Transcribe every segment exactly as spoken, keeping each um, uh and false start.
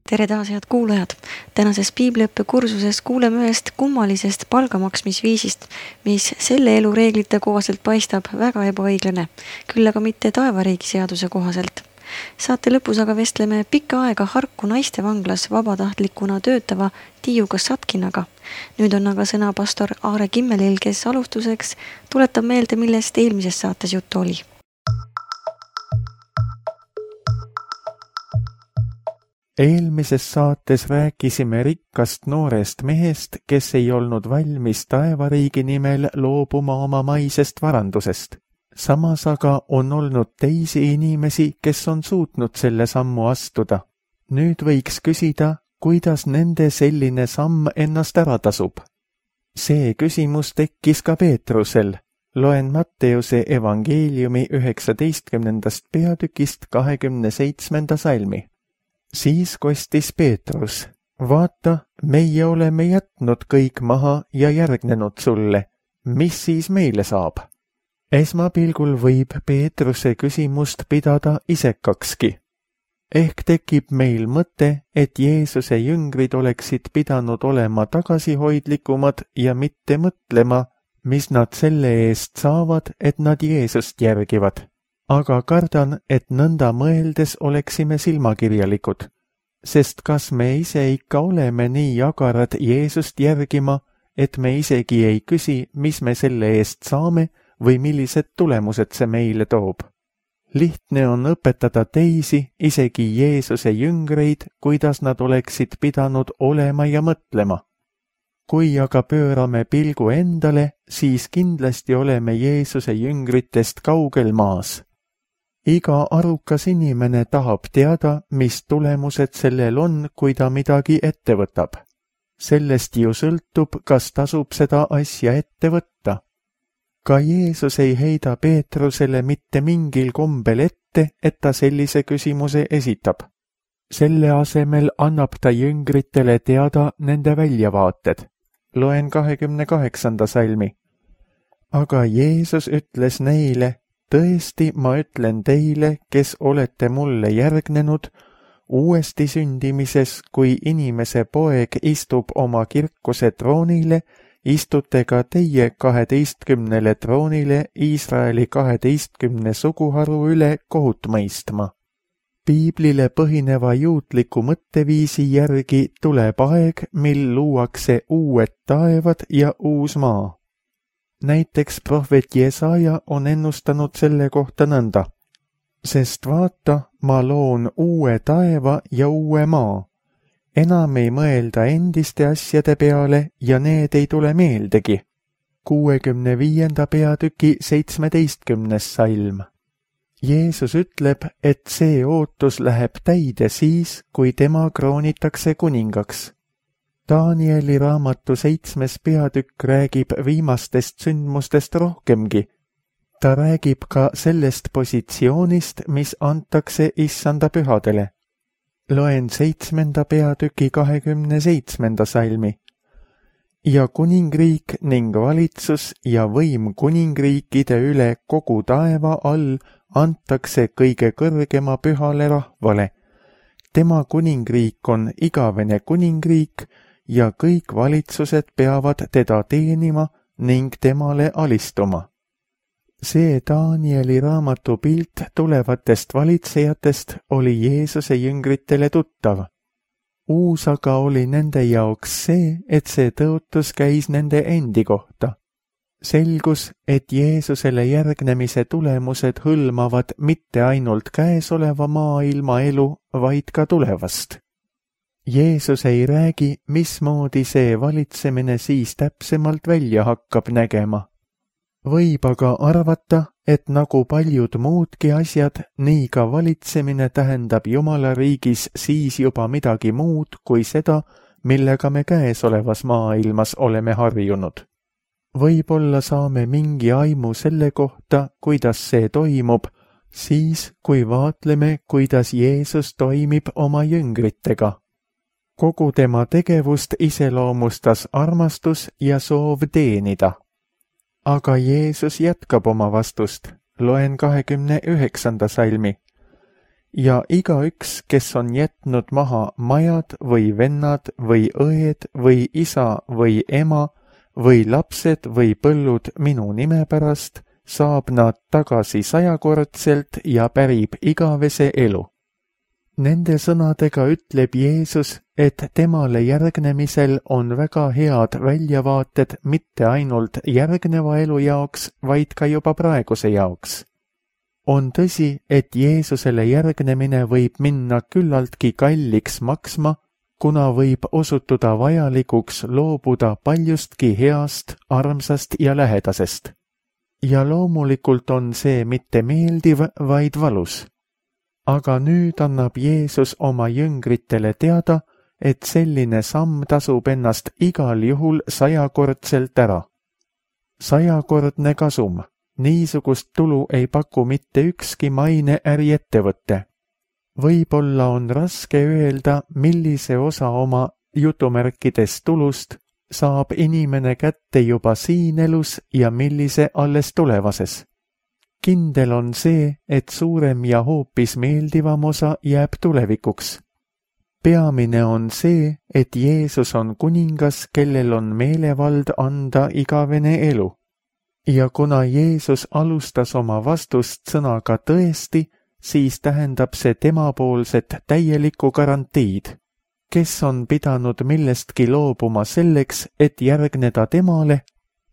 tere taas, head kuulajad! Tänases piibliõppe kursuses kuuleme ühest kummalisest palgamaksmisviisist, mis selle elu reeglite kohaselt paistab väga ebaõiglane, küll aga mitte taevariigi seaduse kohaselt. Saate lõpus aga vestleme pikka aega Harku naistevanglas vabatahtlikuna töötava Tiiu Kasatkinaga. Nüüd on aga sõna pastor Aare Kimmelil, kes alustuseks tuletab meelde, millest eelmises saates juttu oli. Eelmises saates rääkisime rikkast noorest mehest, kes ei olnud valmis taevariigi nimel loobuma oma maisest varandusest. Samas aga on olnud teisi inimesi, kes on suutnud selle sammu astuda. Nüüd võiks küsida, kuidas nende selline samm ennast ära tasub. See küsimus tekkis ka Peetrusel. Loen Matteuse evangeeliumi üheksateistkümnendast peatükist kahekümne seitsmenda salmi. Siis kostis Peetrus, vaata, meie oleme jätnud kõik maha ja järgnenud sulle. Mis siis meile saab? Esmapilgul võib Peetruse küsimust pidada isekakski. Ehk tekib meil mõte, et Jeesuse jüngrid oleksid pidanud olema tagasihoidlikumad ja mitte mõtlema, mis nad selle eest saavad, et nad Jeesust järgivad. Aga kardan, et nõnda mõeldes oleksime silmakirjalikud, sest kas me ise ikka oleme nii agarad Jeesust järgima, et me isegi ei küsi, mis me selle eest saame või millised tulemused see meile toob. Lihtne on õpetada teisi, isegi Jeesuse jüngreid, kuidas nad oleksid pidanud olema ja mõtlema. Kui aga pöörame pilgu endale, siis kindlasti oleme Jeesuse jüngritest kaugel maas. Iga arukas inimene tahab teada, mis tulemused sellel on, kui ta midagi ette võtab. Sellest ju sõltub, kas tasub seda asja ette võtta. Ka Jeesus ei heida Peetrusele mitte mingil kombel ette, et ta sellise küsimuse esitab. Selle asemel annab ta jüngritele teada nende väljavaated. Loen kahekümne kaheksanda salmi. Aga Jeesus ütles neile, tõesti, ma ütlen teile, kes olete mulle järgnenud, uuesti sündimises, kui inimese poeg istub oma kirkuse troonile, istute ka teie kaheteistkümnele troonile Iisraeli kaheteistkümne suguharu üle kohut mõistma. Piiblile põhineva juutliku mõtteviisi järgi tuleb aeg, mil luuakse uued taevad ja uus maa. Näiteks prohvet Jesaja on ennustanud selle kohta nõnda. Sest vaata, ma loon uue taeva ja uue maa. Enam ei mõelda endiste asjade peale ja need ei tule meeldegi. kuuekümne viienda peatüki seitsmeteistkümnes salm. Jeesus ütleb, et see ootus läheb täide siis, kui tema kroonitakse kuningaks. Danieli raamatu seitsmes peatükk räägib viimastest sündmustest rohkemgi. Ta räägib ka sellest positsioonist, mis antakse issanda pühadele. Loen seitsmenda peatüki kahekümne seitsmenda salmi. Ja kuningriik ning valitsus ja võim kuningriikide üle kogu taeva all antakse kõige kõrgema pühale rahvale. Tema kuningriik on igavene kuningriik, ja kõik valitsused peavad teda teenima ning temale alistuma. See Danieli raamatu pilt tulevatest valitsejatest oli Jeesuse jüngritele tuttav. Uus aga oli nende jaoks see, et see tõotus käis nende endi kohta. Selgus, et Jeesusele järgnemise tulemused hõlmavad mitte ainult käesoleva maailma elu, vaid ka tulevast. Jeesus ei räägi, mismoodi see valitsemine siis täpsemalt välja hakkab nägema. Võib aga arvata, et nagu paljud muudki asjad, nii ka valitsemine tähendab Jumala riigis siis juba midagi muud kui seda, millega me käesolevas maailmas oleme harjunud. Võib-olla saame mingi aimu selle kohta, kuidas see toimub, siis kui vaatleme, kuidas Jeesus toimib oma jüngritega. Kogu tema tegevust iseloomustas armastus ja soov teenida. Aga Jeesus jätkab oma vastust. Loen kahekümne üheksanda salmi. ja igaüks, kes on jätnud maha majad või vennad või õed või isa või ema või lapsed või põllud minu nime pärast, saab nad tagasi sajakordselt ja pärib igavese elu. Nende sõnadega ütleb Jeesus, et temale järgnemisel on väga head väljavaated mitte ainult järgneva elu jaoks, vaid ka juba praeguse jaoks. On tõsi, et Jeesusele järgnemine võib minna küllaltki kalliks maksma, kuna võib osutuda vajalikuks loobuda paljustki heast, armsast ja lähedasest. Ja loomulikult on see mitte meeldiv, vaid valus. Aga nüüd annab Jeesus oma jüngritele teada, et selline samm tasub ennast igal juhul sajakordselt ära. Sajakordne kasum. Niisugust tulu ei paku mitte ükski maine äriettevõtte. Võib-olla on raske öelda, millise osa oma jutumärkides tulust saab inimene kätte juba siin elus ja millise alles tulevases. Kindel on see, et suurem ja hoopis meeldivam osa jääb tulevikuks. Peamine on see, et Jeesus on kuningas, kellel on meelevald anda igavene elu. Ja kuna Jeesus alustas oma vastust sõnaga tõesti, siis tähendab see temapoolset täielikku garantiid. Kes on pidanud millestki loobuma selleks, et järgneda temale,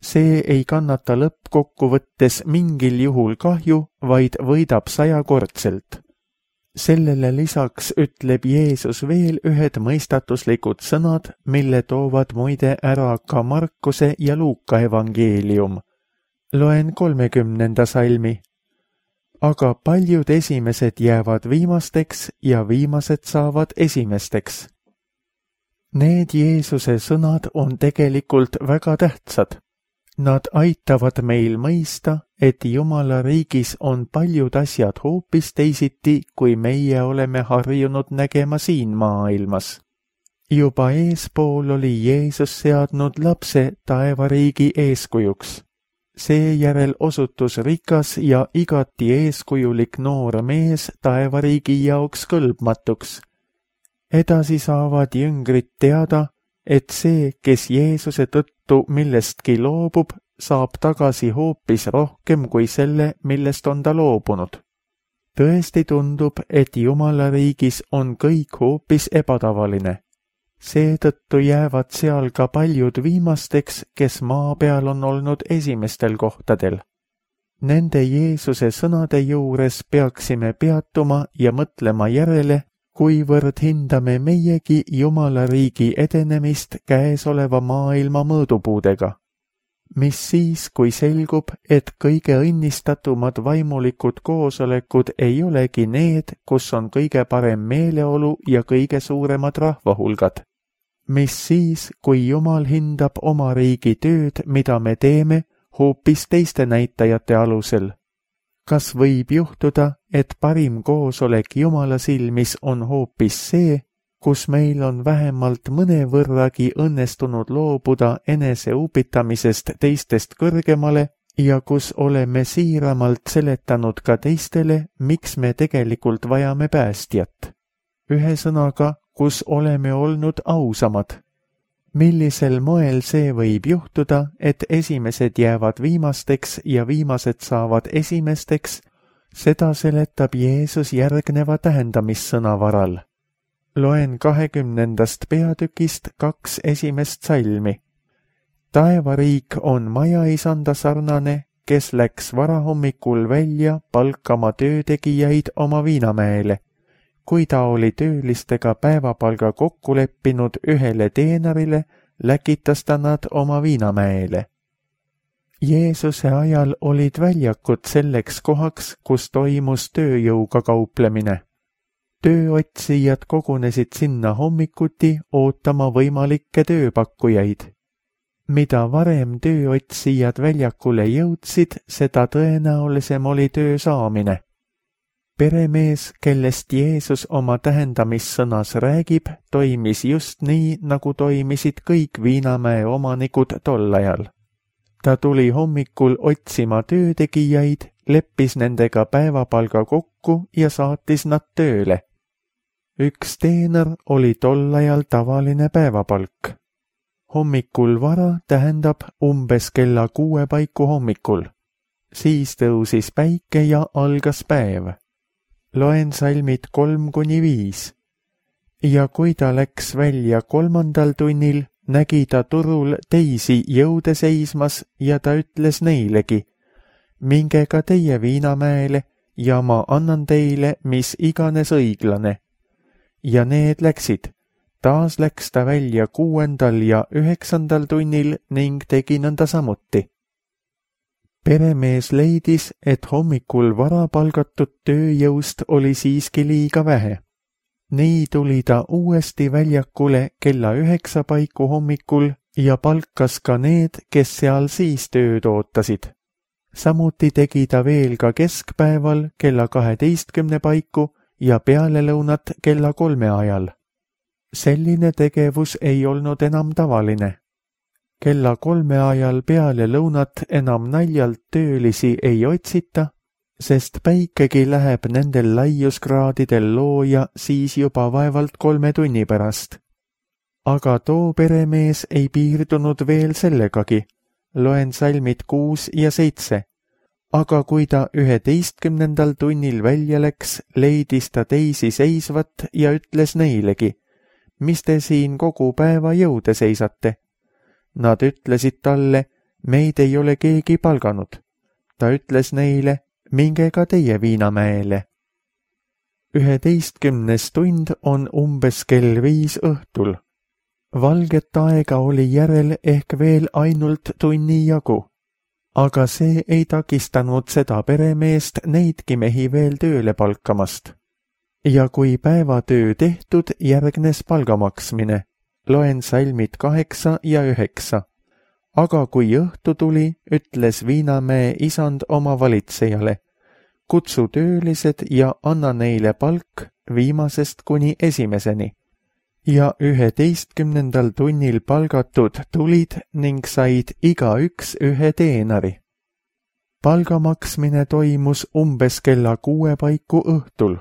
see ei kannata lõppkokkuvõttes mingil juhul kahju, vaid võidab sajakordselt. Sellele lisaks ütleb Jeesus veel ühed mõistatuslikud sõnad, mille toovad muide ära ka Markuse ja Luuka evangeelium. Loen kolmekümnenda salmi. Aga paljud esimesed jäävad viimasteks ja viimased saavad esimesteks. Need Jeesuse sõnad on tegelikult väga tähtsad. Nad aitavad meil mõista, et Jumala riigis on paljud asjad hoopis teisiti, kui meie oleme harjunud nägema siin maailmas. Juba eespool oli Jeesus seadnud lapse taevariigi eeskujuks. Seejärel osutus rikas ja igati eeskujulik noor mees taevariigi jaoks kõlbmatuks. Edasi saavad jüngrid teada, et see, kes Jeesuse tõttu millestki loobub, saab tagasi hoopis rohkem kui selle, millest on ta loobunud. Tõesti tundub, et Jumala riigis on kõik hoopis ebatavaline. Seetõttu jäävad seal ka paljud viimasteks, kes maa peal on olnud esimestel kohtadel. Nende Jeesuse sõnade juures peaksime peatuma ja mõtlema järele, kuivõrd hindame meiegi Jumala riigi edenemist käesoleva maailma mõõdupuudega. Mis siis, kui selgub, et kõige õnnistatumad vaimulikud koosolekud ei olegi need, kus on kõige parem meeleolu ja kõige suuremad rahvahulgad? Mis siis, kui Jumal hindab oma riigi tööd, mida me teeme, hoopis teiste näitajate alusel? Kas võib juhtuda, et parim koosolek Jumala silmis on hoopis see, kus meil on vähemalt mõnevõrragi õnnestunud loobuda enese upitamisest teistest kõrgemale ja kus oleme siiramalt seletanud ka teistele, miks me tegelikult vajame päästjat? Ühesõnaga, kus oleme olnud ausamad. Millisel moel see võib juhtuda, et esimesed jäävad viimasteks ja viimased saavad esimesteks, seda seletab Jeesus järgneva tähendamissõna varal. Loen kahekümnendast peatükist kaks esimest salmi. Taevariik on majaisanda sarnane, kes läks varahommikul välja palkama töötegijaid oma viinamäele. Kui ta oli töölistega päevapalga kokku leppinud ühele teenarile, läkitas ta nad oma viinamäele. Jeesuse ajal olid väljakud selleks kohaks, kus toimus tööjõuga kauplemine. Tööotsijad kogunesid sinna hommikuti ootama võimalikke tööpakkujaid. Mida varem tööotsijad väljakule jõudsid, seda tõenäolisem oli töö saamine. Peremees, kellest Jeesus oma tähendamissõnas räägib, toimis just nii, nagu toimisid kõik viinamäe omanikud tol ajal. Ta tuli hommikul otsima töötegijaid leppis nendega päevapalga kokku ja saatis nad tööle. Üks teener oli tol ajal tavaline päevapalk. Hommikul vara tähendab umbes kella kuue paiku hommikul. Siis tõusis päike ja algas päev. Loen salmid kolm kuni viis. Ja kui ta läks välja kolmandal tunnil, nägi ta turul teisi jõude seismas ja ta ütles neilegi, minge ka teie Viinamäele ja ma annan teile mis iganes õiglane. Ja need läksid. Taas läks ta välja kuuendal ja üheksandal tunnil ning tegi nõnda samuti. Peremees leidis, et hommikul vara palgatud tööjõust oli siiski liiga vähe. Nii tuli ta uuesti väljakule kella üheksa paiku hommikul ja palkas ka need, kes seal siis tööd ootasid. Samuti tegi ta veel ka keskpäeval kella kaheteistkümne paiku ja pealelõunat kella kolme ajal. Selline tegevus ei olnud enam tavaline. Kella kolme ajal peale lõunat enam naljalt töölisi ei otsita, sest päikegi läheb nendel laiuskraadidel looja siis juba vaevalt kolme tunni pärast. Aga too peremees ei piirdunud veel sellegagi. Loen salmid kuus ja seitse. Aga kui ta üheteistkümnendal tunnil välja läks, leidis ta teisi seisvat ja ütles neilegi, mis te siin kogu päeva jõude seisate? Nad ütlesid talle, meid ei ole keegi palganud. Ta ütles neile, minge ka teie Viinamäele. Üheteistkümnes tund on umbes kell viis õhtul. Valget aega oli järel ehk veel ainult tunni jagu. Aga see ei takistanud seda peremeest neidki mehi veel tööle palkamast. Ja kui päevatöö tehtud, järgnes palgamaksmine. Loen salmid kaheksa ja üheksa. Aga kui õhtu tuli, ütles Viinamäe isand oma valitsejale, kutsu töölised ja anna neile palk viimasest kuni esimeseni. Ja üheteistkümnendal tunnil palgatud tulid ning said igaüks ühe teenari. Palgamaksmine toimus umbes kella kuue paiku õhtul.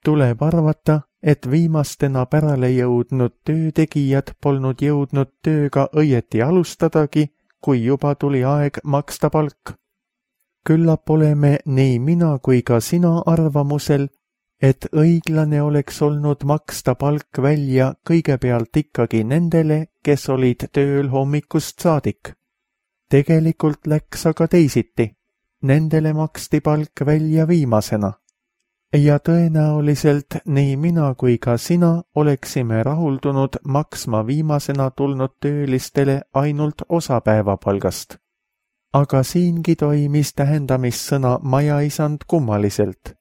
Tuleb arvata, et viimastena pärale jõudnud töötegijad polnud jõudnud tööga õieti alustadagi, kui juba tuli aeg maksta palk. Küllap oleme nii mina kui ka sina arvamusel, et õiglane oleks olnud maksta palk välja kõigepealt ikkagi nendele, kes olid tööl hommikust saadik. Tegelikult läks aga teisiti. Nendele maksti palk välja viimasena. Ja tõenäoliselt nii mina kui ka sina oleksime rahuldunud maksma viimasena tulnud töölistele ainult osapäevapalgast. Aga siingi toimis tähendamissõna majaisand kummaliselt.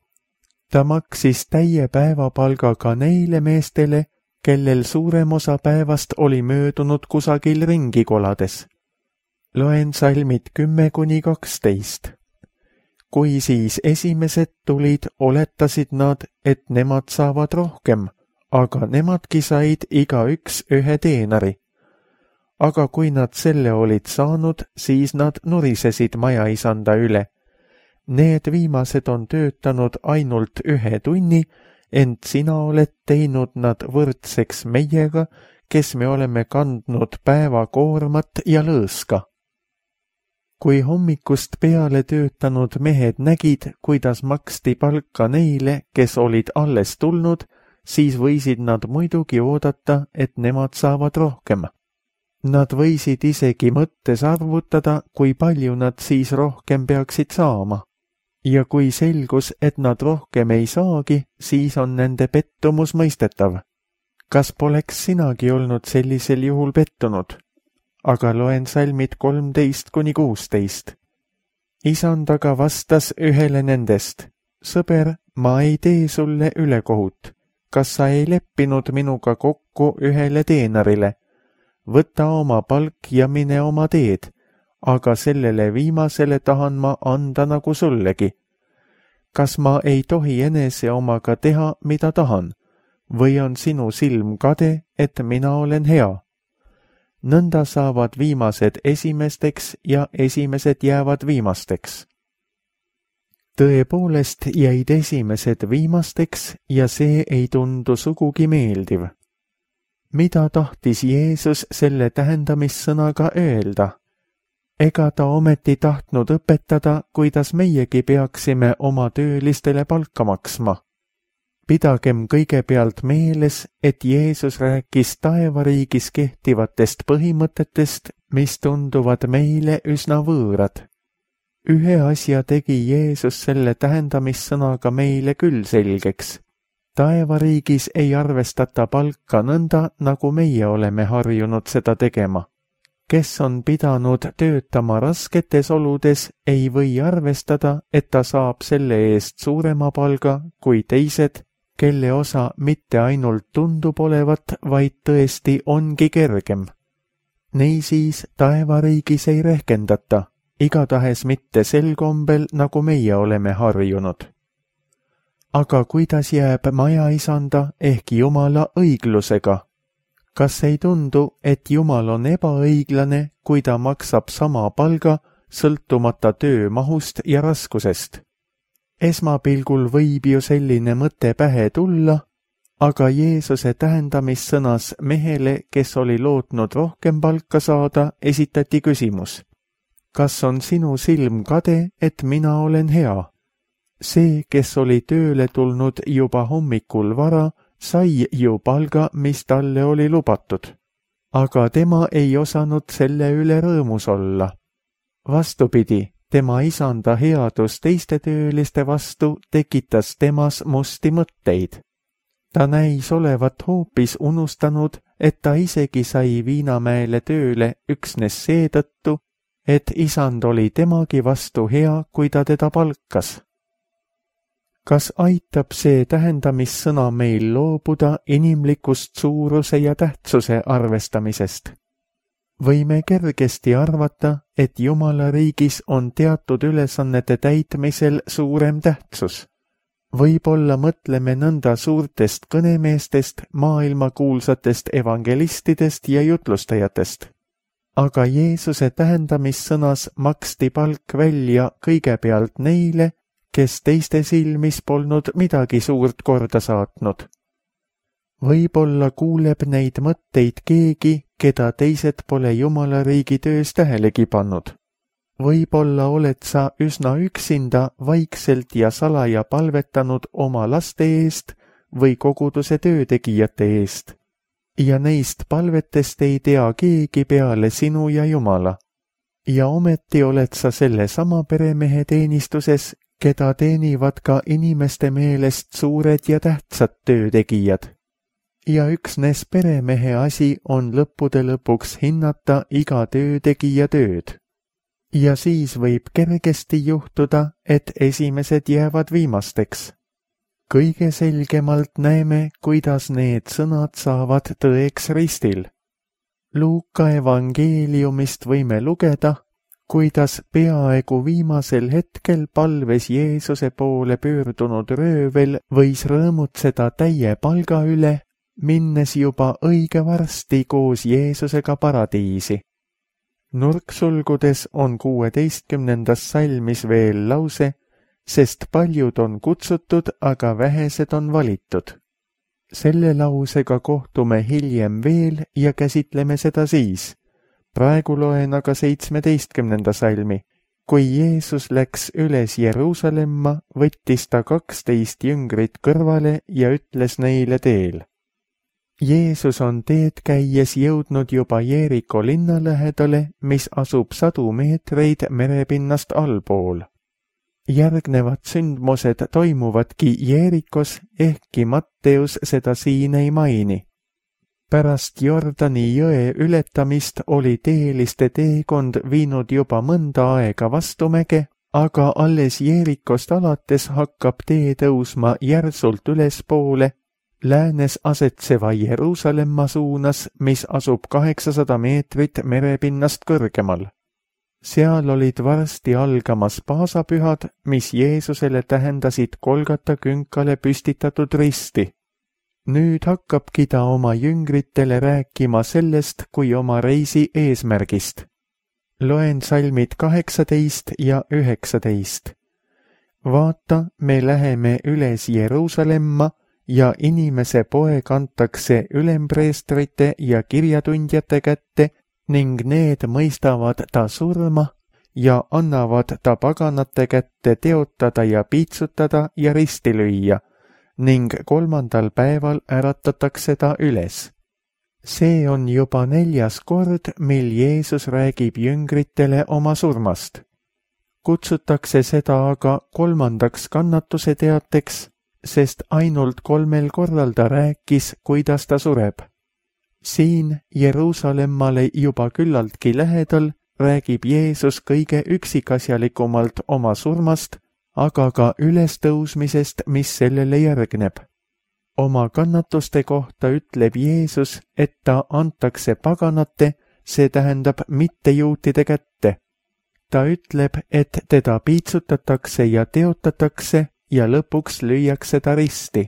Ta maksis täie päevapalgaga neile meestele, kellel suurem osa päevast oli möödunud kusagil ringi kolades. Loen salmid kümme kuni kaksteist. Kui siis esimesed tulid, oletasid nad, et nemad saavad rohkem, aga nemadki said igaüks ühe teenari. Aga kui nad selle olid saanud, siis nad nurisesid majaisanda üle. Need viimased on töötanud ainult ühe tunni, ent sina oled teinud nad võrdseks meiega, kes me oleme kandnud päevakoormat ja lõõska. Kui hommikust peale töötanud mehed nägid, kuidas maksti palka neile, kes olid alles tulnud, siis võisid nad muidugi oodata, et nemad saavad rohkem. Nad võisid isegi mõttes arvutada, kui palju nad siis rohkem peaksid saama. Ja kui selgus, et nad rohkem ei saagi, siis on nende pettumus mõistetav. Kas poleks sinagi olnud sellisel juhul pettunud? Aga loen salmid kolmteist kuni kuusteist. Isand aga vastas ühele nendest, sõber, ma ei tee sulle ülekohut. Kas sa ei leppinud minuga kokku ühele teenarile? Võta oma palk ja mine oma teed. Aga sellele viimasele tahan ma anda nagu sullegi. Kas ma ei tohi enese omaga teha, mida tahan? Või on sinu silm kade, et mina olen hea? Nõnda saavad viimased esimesteks ja esimesed jäävad viimasteks. tõepoolest jäid esimesed viimasteks ja see ei tundu sugugi meeldiv. Mida tahtis Jeesus selle tähendamissõnaga öelda? Ega ta ometi tahtnud õpetada, kuidas meiegi peaksime oma töölistele palka maksma. Pidagem kõigepealt meeles, et Jeesus rääkis taevariigis kehtivatest põhimõtetest, mis tunduvad meile üsna võõrad. Ühe asja tegi Jeesus selle tähendamissõnaga meile küll selgeks. Taevariigis ei arvestata palka nõnda, nagu meie oleme harjunud seda tegema. Kes on pidanud töötama rasketes oludes, ei või arvestada, et ta saab selle eest suurema palga kui teised, kelle osa mitte ainult tundub olevat, vaid tõesti ongi kergem. Niisiis taevariigis ei rehkendata, igatahes mitte sel kombel, nagu meie oleme harjunud. Aga kuidas jääb majaisanda ehk Jumala õiglusega? Kas ei tundu, et Jumal on ebaõiglane, kui ta maksab sama palga, sõltumata töö mahust ja raskusest? Esmapilgul võib ju selline mõte pähe tulla, aga Jeesuse tähendamissõnas mehele, kes oli lootnud rohkem palka saada, esitati küsimus. Kas on sinu silm kade, et mina olen hea? See, kes oli tööle tulnud juba hommikul vara, sai ju palga, mis talle oli lubatud. Aga tema ei osanud selle üle rõõmus olla. Vastupidi, tema isanda headus teiste tööliste vastu tekitas temas musti mõtteid. Ta näis olevat hoopis unustanud, et ta isegi sai Viinamäele tööle üksnes seetõttu, et isand oli temagi vastu hea, kui ta teda palkas. Kas aitab see tähendamissõna meil loobuda inimlikust suuruse ja tähtsuse arvestamisest? Võime kergesti arvata, et Jumala riigis on teatud ülesannete täitmisel suurem tähtsus. Võib-olla mõtleme nõnda suurtest kõnemeestest, maailmakuulsatest evangelistidest ja jutlustajatest. Aga Jeesuse tähendamissõnas maksti palk välja kõigepealt neile, kes teiste silmis polnud midagi suurt korda saatnud. Võib-olla kuuleb neid mõtteid keegi, keda teised pole Jumala riigi töös tähelegi pannud. Võib-olla oled sa üsna üksinda vaikselt ja salaja palvetanud oma laste eest või koguduse töötegijate eest. Ja neist palvetest ei tea keegi peale sinu ja Jumala. Ja ometi oled sa selle sama peremehe teenistuses, keda teenivad ka inimeste meelest suured ja tähtsad töötegijad. Ja üksnes peremehe asi on lõppude lõpuks hinnata iga töötegija tööd. Ja siis võib kergesti juhtuda, et esimesed jäävad viimasteks. Kõige selgemalt näeme, kuidas need sõnad saavad tõeks ristil. Luuka evangeeliumist võime lugeda, kuidas peaaegu viimasel hetkel palves Jeesuse poole pöördunud röövel võis rõõmutseda täie palga üle, minnes juba õige varsti koos Jeesusega paradiisi. Nurksulgudes on kuueteistkümnendas salmis veel lause, sest paljud on kutsutud, aga vähesed on valitud. Selle lausega kohtume hiljem veel ja käsitleme seda siis. Praegu loen aga seitsmeteistkümnenda salmi. Kui Jeesus läks üles Jeruusalemma, võttis ta kaksteist jüngrit kõrvale ja ütles neile teel. Jeesus on teed käies jõudnud juba Jeeriko linna lähedale, mis asub sadu meetreid merepinnast allpool. Järgnevad sündmused toimuvadki Jeerikos, ehkki Matteus seda siin ei maini. Pärast Jordani jõe ületamist oli teeliste teekond viinud juba mõnda aega vastumäge, aga alles Jeerikost alates hakkab tee tõusma järsult ülespoole, läänes asetseva Jeruusalemma suunas, mis asub kaheksasada meetrit merepinnast kõrgemal. Seal olid varsti algamas paasapühad, mis Jeesusele tähendasid Golgata künkale püstitatud risti. Nüüd hakkabki ta oma jüngritele rääkima sellest kui oma reisi eesmärgist. Loen salmid kaheksateist ja üheksateist. vaata, me läheme üles Jeruusalemma ja inimese poeg antakse ülempreestrite ja kirjatundjate kätte ning need mõistavad ta surma ja annavad ta paganate kätte teotada ja piitsutada ja risti lüüa ning kolmandal päeval äratatakse ta üles. See on juba neljas kord, mil Jeesus räägib jüngritele oma surmast. Kutsutakse seda aga kolmandaks kannatuse teateks, sest ainult kolmel korral ta rääkis, kuidas ta sureb. Siin Jeruusalemmale juba küllaltki lähedal räägib Jeesus kõige üksikasjalikumalt oma surmast, aga ka ülestõusmisest, mis sellele järgneb. Oma kannatuste kohta ütleb Jeesus, et ta antakse paganate, see tähendab mittejuutide kätte. Ta ütleb, et teda piitsutatakse ja teotatakse ja lõpuks lüüakse ta risti.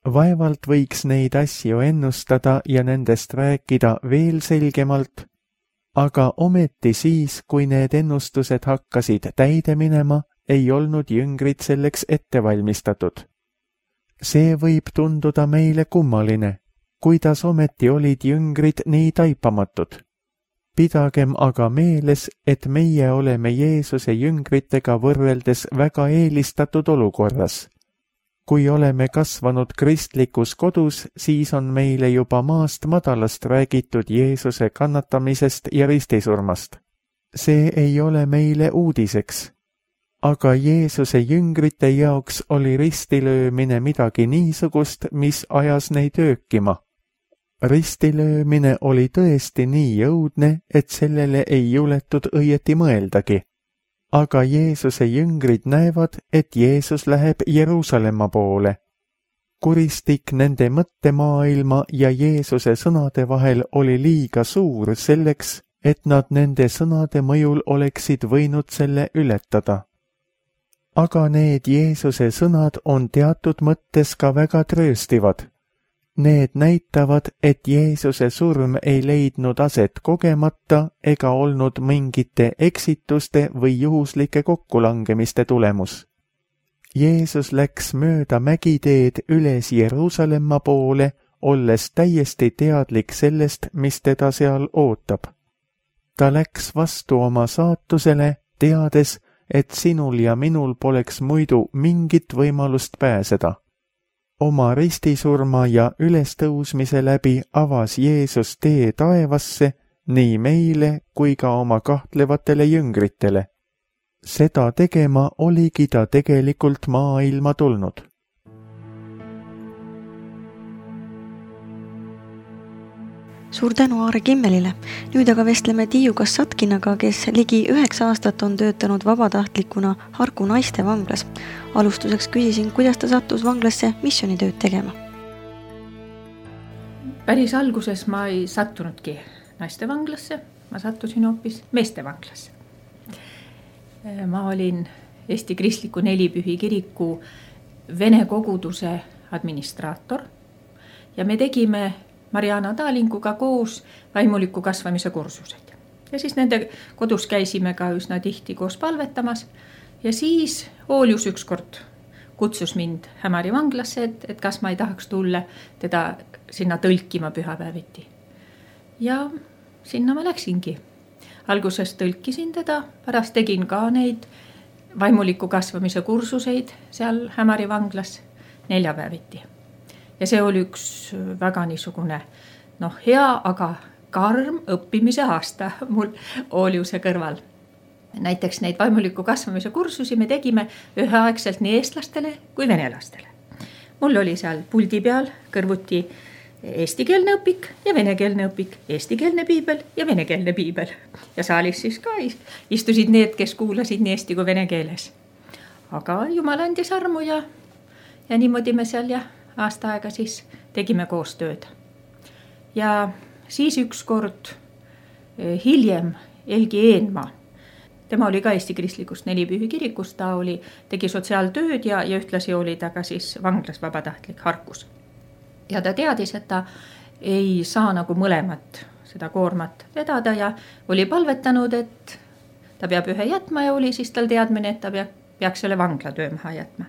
Vaevalt võiks neid asju ennustada ja nendest rääkida veel selgemalt, aga ometi siis, kui need ennustused hakkasid täide minema, ei olnud jüngrid selleks ette valmistatud. See võib tunduda meile kummaline, kuidas ometi olid jüngrid nii taipamatud. Pidagem aga meeles, et meie oleme Jeesuse jüngritega võrreldes väga eelistatud olukorras. Kui oleme kasvanud kristlikus kodus, siis on meile juba maast madalast räägitud Jeesuse kannatamisest ja ristisurmast. See ei ole meile uudiseks. Aga Jeesuse jüngrite jaoks oli ristilöömine midagi niisugust, mis ajas neid öökima. Ristilöömine oli tõesti nii jõudne, et sellele ei juletud õieti mõeldagi. Aga Jeesuse jüngrid näevad, et Jeesus läheb Jeruusalemma poole. Kuristik nende mõttemaailma ja Jeesuse sõnade vahel oli liiga suur selleks, et nad nende sõnade mõjul oleksid võinud selle ületada. Aga need Jeesuse sõnad on teatud mõttes ka väga trööstivad. Need näitavad, et Jeesuse surm ei leidnud aset kogemata ega olnud mingite eksituste või juhuslike kokkulangemiste tulemus. Jeesus läks mööda mägiteed üles Jeruusalemma poole, olles täiesti teadlik sellest, mis teda seal ootab. Ta läks vastu oma saatusele, teades, et sinul ja minul poleks muidu mingit võimalust pääseda. Oma ristisurma ja ülestõusmise läbi avas Jeesus tee taevasse nii meile kui ka oma kahtlevatele jüngritele. Seda tegema oligi ta tegelikult maailma tulnud. Suur tänu Aare Kimmelile. Nüüd aga vestleme Tiiu Kassatkinaga, kes ligi üheksa aastat on töötanud vabatahtlikuna Harku naiste vanglas. Alustuseks küsisin, kuidas ta sattus vanglasse missioonitööd tegema. Päris alguses ma ei sattunudki naiste vanglasse, ma sattusin hoopis meeste vanglasse. Ma olin Eesti Kristliku Nelipühi kiriku Vene koguduse administraator ja me tegime Mariana Taalinguga koos vaimuliku kasvamise kursused. Ja siis nende kodus käisime ka üsna tihti koos palvetamas ja siis Oolius ükskord kutsus mind Hämari vanglasse, et, et kas ma ei tahaks tulla teda sinna tõlkima pühapäeviti. Ja sinna ma läksingi. Alguses tõlkisin teda, pärast tegin ka neid vaimuliku kasvamise kursuseid seal Hämari vanglas neljapäeviti. Ja see oli üks väga niisugune noh, hea, aga karm õppimise aasta mul Ooliuse kõrval. Näiteks neid vaimuliku kasvamise kursusi me tegime üheaegselt nii eestlastele kui venelastele. Mul oli seal puldi peal kõrvuti eestikeelne õpik ja venekeelne õpik, eestikeelne piibel ja venekeelne piibel. Ja saalis siis ka istusid need, kes kuulasid nii eesti kui vene keeles. Aga Jumal andis armu ja, ja niimoodi me seal ja aasta aega siis tegime koostööd. Ja siis ükskord hiljem Elgi Eenmaa, tema oli ka Eesti Kristlikust Nelipühi kirikust, ta oli, tegi sotsiaaltööd ja, ja ühtlasi oli ta ka siis vanglas vabatahtlik Harkus. Ja ta teadis, et ta ei saa nagu mõlemat seda koormat vedada ja oli palvetanud, et ta peab ühe jätma ja oli siis tal teadmine, et ta peab peaks selle vanglatöö maha jätma.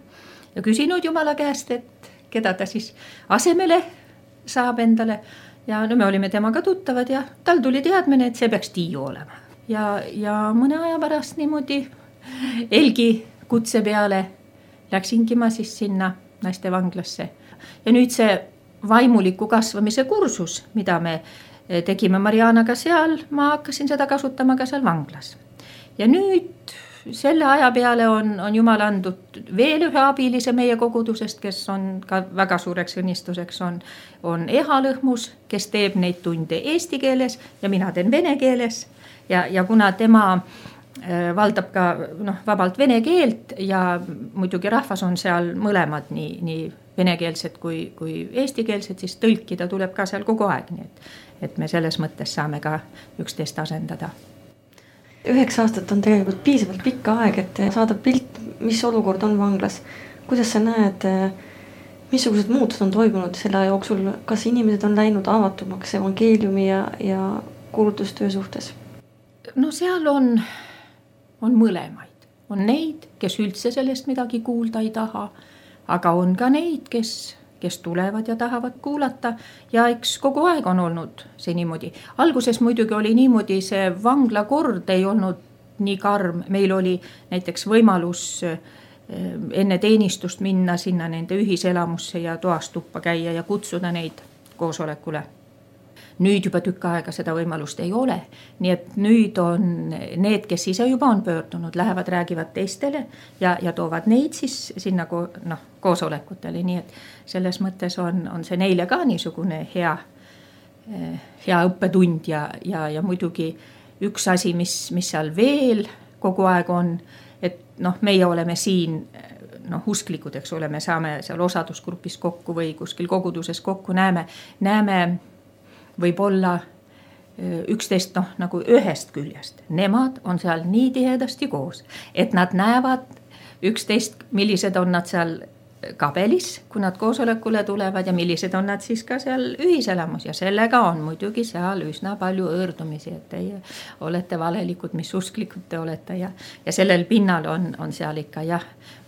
Ja küsinud Jumala käest, et keda ta siis asemele saab endale. Ja no me olime temaga tuttavad ja tal tuli teadmine, et see peaks Tiiu olema. Ja, ja mõne aja pärast niimoodi Elgi kutse peale läksingi ma siis sinna naiste vanglasse. Ja nüüd see vaimuliku kasvamise kursus, mida me tegime Marianaga seal, ma hakkasin seda kasutama ka seal vanglas. Ja nüüd selle aja peale on, on Jumal andnud veel ühe abilise meie kogudusest, kes on ka väga suureks õnnistuseks, on, on Eha Lõhmus, kes teeb neid tunde eesti keeles ja mina teen vene keeles. Ja, ja kuna tema valdab ka noh, vabalt vene keelt ja muidugi rahvas on seal mõlemad nii, nii venekeelsed kui, kui eestikeelsed, siis tõlkida tuleb ka seal kogu aeg, nii et, et me selles mõttes saame ka üksteist asendada. Üheksa aastat on tegelikult piisavalt pikka aeg, et saada pilt, mis olukord on vanglas. Kuidas sa näed, missugused muutused on toimunud selle jooksul, kas inimesed on läinud avatumaks evangeeliumi ja, ja kuulutustöö suhtes? No seal on on mõlemaid. On neid, kes üldse sellest midagi kuulda ei taha, aga on ka neid, kes, kes tulevad ja tahavad kuulata ja eks kogu aeg on olnud see niimoodi. Alguses muidugi oli niimoodi, see vangla kord ei olnud nii karm. Meil oli näiteks võimalus enne teenistust minna sinna nende ühiselamusse ja toast tuppa käia ja kutsuda neid koosolekule. Nüüd juba tükk aega seda võimalust ei ole, nii et nüüd on need, kes ise juba on pöördunud, lähevad, räägivad teistele ja, ja toovad neid siis sinna ko, noh, koosolekutele, nii et selles mõttes on, on see neile ka niisugune hea, hea õppetund ja, ja, ja muidugi üks asi, mis, mis seal veel kogu aeg on, et noh, meie oleme siin noh, usklikud, eks ole, me saame seal osadusgrupis kokku või kuskil koguduses kokku, näeme, näeme võib-olla üksteist noh, nagu ühest küljest. Nemad on seal nii tihedasti koos, et nad näevad üksteist, millised on nad seal kabelis, kui nad koosolekule tulevad ja millised on nad siis ka seal ühiselamus ja sellega on muidugi seal üsna palju õõrdumisi, et teie olete valelikud, mis usklikud te olete ja, ja sellel pinnal on, on seal ikka jah,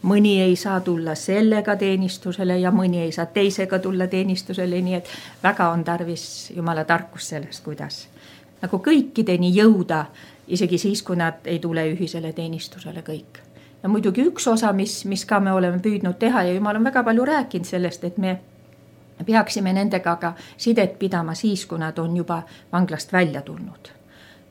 mõni ei saa tulla sellega teenistusele ja mõni ei saa teisega tulla teenistusele, nii et väga on tarvis Jumala tarkus sellest, kuidas nagu kõikideni jõuda, isegi siis, kui nad ei tule ühisele teenistusele kõik. Ja muidugi üks osa, mis, mis ka me oleme püüdnud teha ja Jumal on väga palju rääkinud sellest, et me peaksime nendega ka sidet pidama siis, kui nad on juba vanglast välja tulnud.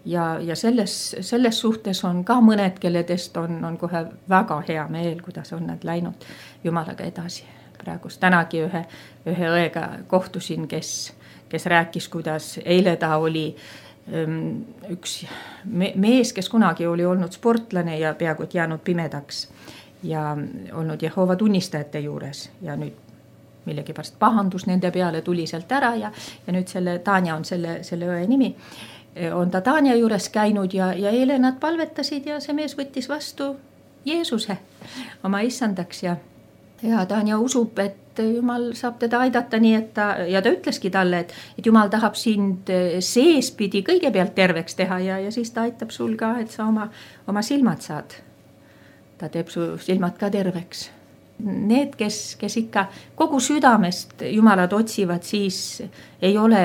Ja, ja selles, selles suhtes on ka mõned, kelledest on, on kohe väga hea meel, kuidas on nad läinud Jumalaga edasi. Praegust tänagi ühe, ühe õega kohtusin, kes, kes rääkis, kuidas eile ta oli üks mees, kes kunagi oli olnud sportlane ja peaaegu jäänud pimedaks ja olnud Jehova tunnistajate juures ja nüüd millegipärast pahandus nende peale tuli sealt ära ja, ja nüüd selle Tanja on selle, selle õe nimi, on ta Tanja juures käinud ja, ja eile nad palvetasid ja see mees võttis vastu Jeesuse oma issandaks ja, ja Tanja usub, et Jumal saab teda aidata nii, et ta, ja ta ütleski talle, et, et Jumal tahab sind seespidi kõigepealt terveks teha ja, ja siis ta aitab sul ka, et sa oma, oma silmad saad. Ta teeb su silmad ka terveks. Need, kes, kes ikka kogu südamest Jumalat otsivad, siis ei ole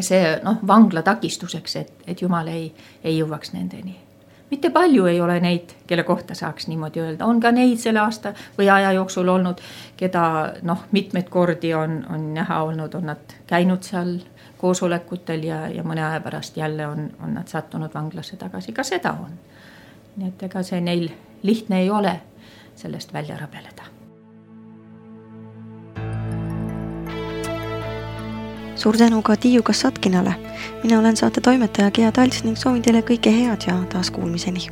see noh, vangla takistuseks, et, et Jumal ei, ei jõuaks nendeni. Mitte palju ei ole neid, kelle kohta saaks niimoodi öelda. On ka neid selle aasta või aja jooksul olnud, keda noh, mitmeid kordi on, on näha olnud, on nad käinud seal koosolekutel ja, ja mõne aja pärast jälle on, on nad sattunud vanglasse tagasi. Ka seda on. Nii et ega see neil lihtne ei ole sellest välja rabeleda. Suur tänu ka Tiiu Kassatkinale. Mina olen saate toimetaja Gea Talts ning soovin teile kõike head ja taas kuulmiseni.